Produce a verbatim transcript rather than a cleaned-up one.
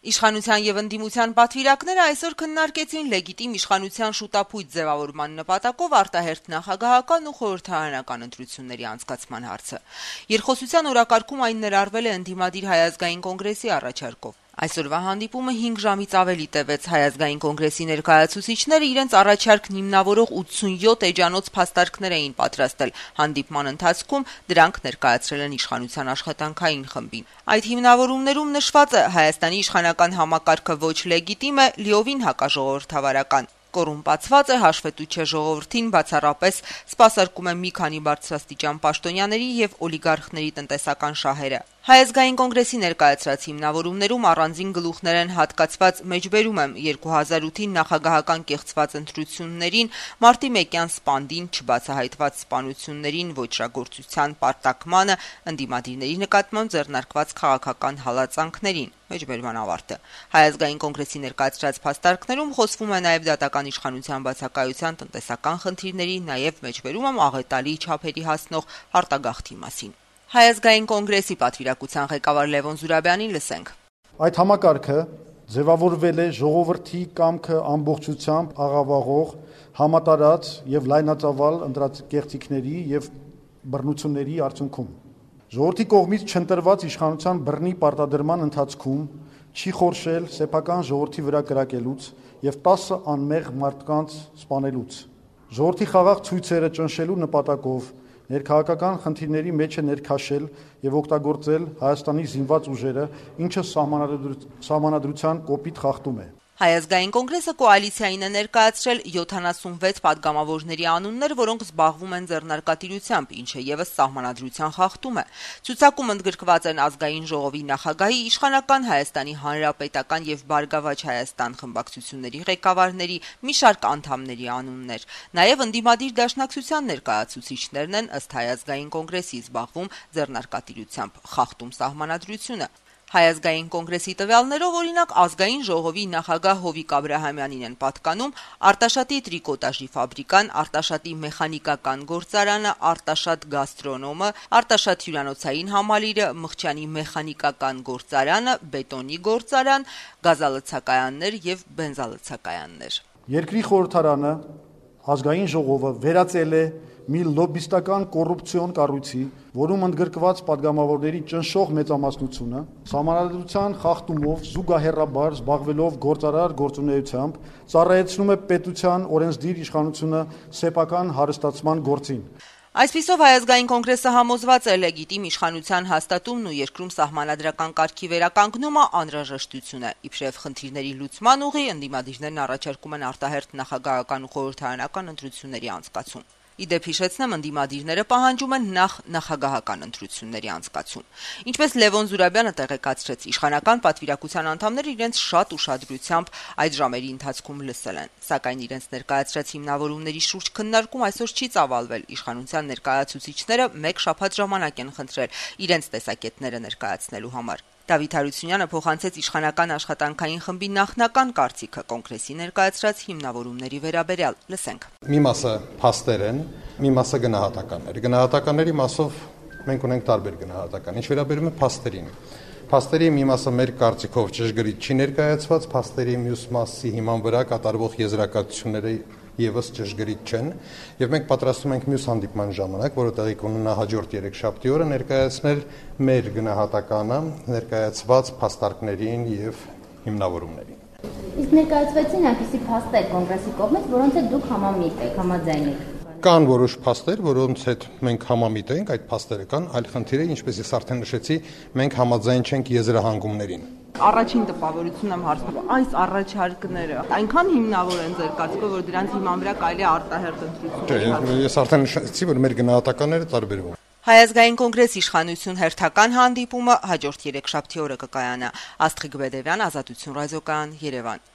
Իշխանության եւ ընդդիմության պատվիրակները այսօր քննարկեցին լեգիտիմ իշխանության շուտապույտ ձևավորման նպատակով արտահերթ նախագահական ու խորհրդարանական ընտրությունների անցկացման հարցը։ Երկխոսության օրակարգում այն ներառվել է ընդդիմադիր Հայ ազգային կոնգրեսի առաջարկով։ Այսօրվա հանդիպումը հինգ ժամից ավելի տևեց։ Հայ ազգային կոնգրեսի ներկայացուցիչները իրենց առաջարկն հիմնավորող ութսունյոթ էջանոց փաստարկներ էին պատրաստել։ Հանդիպման ընթացքում դրանք ներկայացրել են իշխանության աշխատանքային խմբին։ Այդ հիմնավորումներում նշված է Հայաստանի իշխանական համակարգը ոչ լեգիտիմ է, լիովին հակաժողովրդավարական, կոռումպացված է, հաշվետու չէ ժողովրդին, բացառապես սպասարկում է մի քանի բարձրաստիճան պաշտոնյաների եւ օլիգարխների տնտեսական շահերը։ Հայ ազգային կոնգրեսի ներկայացրած հիմնավորումներում առանձին գլուխներ են հատկացված մեջբերում եմ երկու հազար ութին նախագահական կեղծված ընտրություններին, մարտի մեկյան սպանդին, չբացահայտված սպանություններին, ոճրագործության պարտակմանը, ընդդիմադիրների նկատմամբ ձեռնարկված քաղաքական հալածանքներին։ Մեջբերման ավարտը։ Հայ ազգային կոնգրեսի ներկայացրած փաստարկներում խոսվում է նաև դատական իշխանության բացակայության, տնտեսական խնդիրների, նաև մեջբերում եմ աղետալի չափերի հասնող արտագաղթի մասին։ Հայ ազգային կոնգրեսի պատվիրակության ղեկավար Լևոն Զուրաբյանին լսենք։ Այդ համակարգը ձևավորվել է ժողովրդի կամքը ամբողջությամբ աղավաղող, համատարած եւ լայնածավալ ընտրակեղծիքների եւ բռնությունների արդյունքում։ Ժողովրդի կողմից չընտրված իշխանության բռնի պարտադրման ընթացքում չի խորշել սեփական ժողովրդի վրա կրակելուց եւ տասը անմեղ մարդկանց սպանելուց։ Ժողովրդի խաղաղ ցույցերը ճնշելու նպատակով ներքաղաքական խնդիրների մեջ է ներքաշել եւ օգտագործել Հայաստանի զինված ուժերը, ինչը սահմանադրության կոպիտ խախտում է։ Հայ ազգային կոնգրեսը կոալիցիային է ներկայացրել յոթանասունվեց падգամավորների անուններ, որոնք զբաղվում են ձեռնարկատիրությամբ, ինչը եւս սահմանադրության խախտում է։ Ցուցակում ընդգրկված են ազգային ժողովի նախագահի, իշխանական Հայաստանի Հանրապետական եւ Բարգավաճ Հայաստան խմբակցությունների ղեկավարների, մի շարք անդամների անուններ։ Նաեւ ընդդիմադիր դաշնակցության ներկայացուցիչներն են ըստ Հայ ազգային կոնգրեսի զբաղվում ձեռնարկատիրությամբ, խախտում սահմանադրությունը։ Հայ ազգային կոնգրեսի տվյալներով օրինակ ազգային ժողովի նախագահ Հովիկ Աբրահամյանին են պատկանում Արտաշատի տրիկոտաժի ֆաբրիկան, Արտաշատի մեխանիկական գործարանը, Արտաշատ գաստրոնոմը, Արտաշատ հյուրանոցային համալիրը, Մղճյանի մեխանիկական գործարանը, բետոնի գործարան, գազալցակայաններ եւ բենզալցակայաններ։ Երկրի խորհրդարանը ազգային ժողովը վերածել է մի լոբիստական կոռուպցիոն կառույցի, որում ընդգրկված падգամավորների ճնշող մեծամասնությունը սահմանադրության խախտումով զուգահեռաբար զբաղվելով գործարար գործունեությամբ ծառայեցնում է պետության օրենսդիր իշխանությունը սեփական հարստացման գործին։ Այսպիսով Հայ ազգային կոնգրեսը համոզված է լեգիտիմ իշխանության հաստատումն ու երկրում սահմանադրական կարգի վերականգնումը անհրաժեշտություն է։ Իբրև խնդիրների լուծման ուղի ընդդիմադիրներն առաջարկում են արտահերթ նախագահական ու խորհրդարանական ընտրությունների անցկացում։ Իդեպ հիշեցնեմ, ընդդիմադիրները պահանջում են նախ նախագահական ընտրությունների անցկացում։ Ինչպես Լևոն Զուրաբյանը տեղեկացրեց, իշխանական պատվիրակության անդամները իրենց շատ ուշադրությամբ այդ ժամերի ընթացքում լսել են, սակայն իրենց ներկայացրած հիմնավորումների շուրջ քննարկում այսօր չի ծավալվել։ Իշխանության ներկայացուցիչները մեկ շաբաթ ժամանակ են խնդրել իրենց տեսակետները ներկայացնելու համար։ Դավիթ Հարությունյանը փոխանցեց իշխանական աշխատանքային խմբի նախնական կարծիքը կոնգրեսի ներկայացրած հիմնավորումների վերաբերյալ։ Լսենք։ Մի մասը փաստեր են, մի մասը գնահատականներ։ Գնահատականների մասով մենք ունենք տարբեր գնահատական։ Ինչ վերաբերում է փաստերին։ Փաստերի մի մասը մեր կարծիքով ճշգրիտ չի ներկայացված, փաստերի մյուս մասի հիման վրա կատարվող եզրակացությունները եւս ճշգրիտ չեն, եւ մենք պատրաստում ենք մյուս հանդիպման ժամանակ, որը տեղի կունենա հաջորդ երեքշաբթի օրը, ներկայացնել մեր գնահատականը ներկայացված փաստարկներին եւ հիմնավորումներին։ Իսկ ներկայացվեցին այնպիսի փաստեր կոնգրեսի կողմից, որոնց հետ դուք համամիտ եք, համաձայն եք։ Կան որոշ փաստեր, որոնց հետ մենք համամիտ ենք, այդ փաստերը կան, այլ խնդիրը, ինչպես ես արդեն նշեցի, մենք համաձայն չենք եզրահանգումներին։ Առաջին տպավորությունն եմ հարցնում, այս առաջարկները այնքան հիմնավոր են ձեր կարծիքով, որ դրանց հիման վրա կարելի է արտահերթ ընտրություններ։ Չէ, ես արդեն նշեցի, որ մեր գնահատականները տարբերվում են։ Հայ ազգային կոնգրես իշխանություն հերթական հանդիպումը հաջորդ երեքշաբթի օրը կկայանա։ Աստղիկ Բեդևյան, Ազատություն ռադիոկայան, Երևան։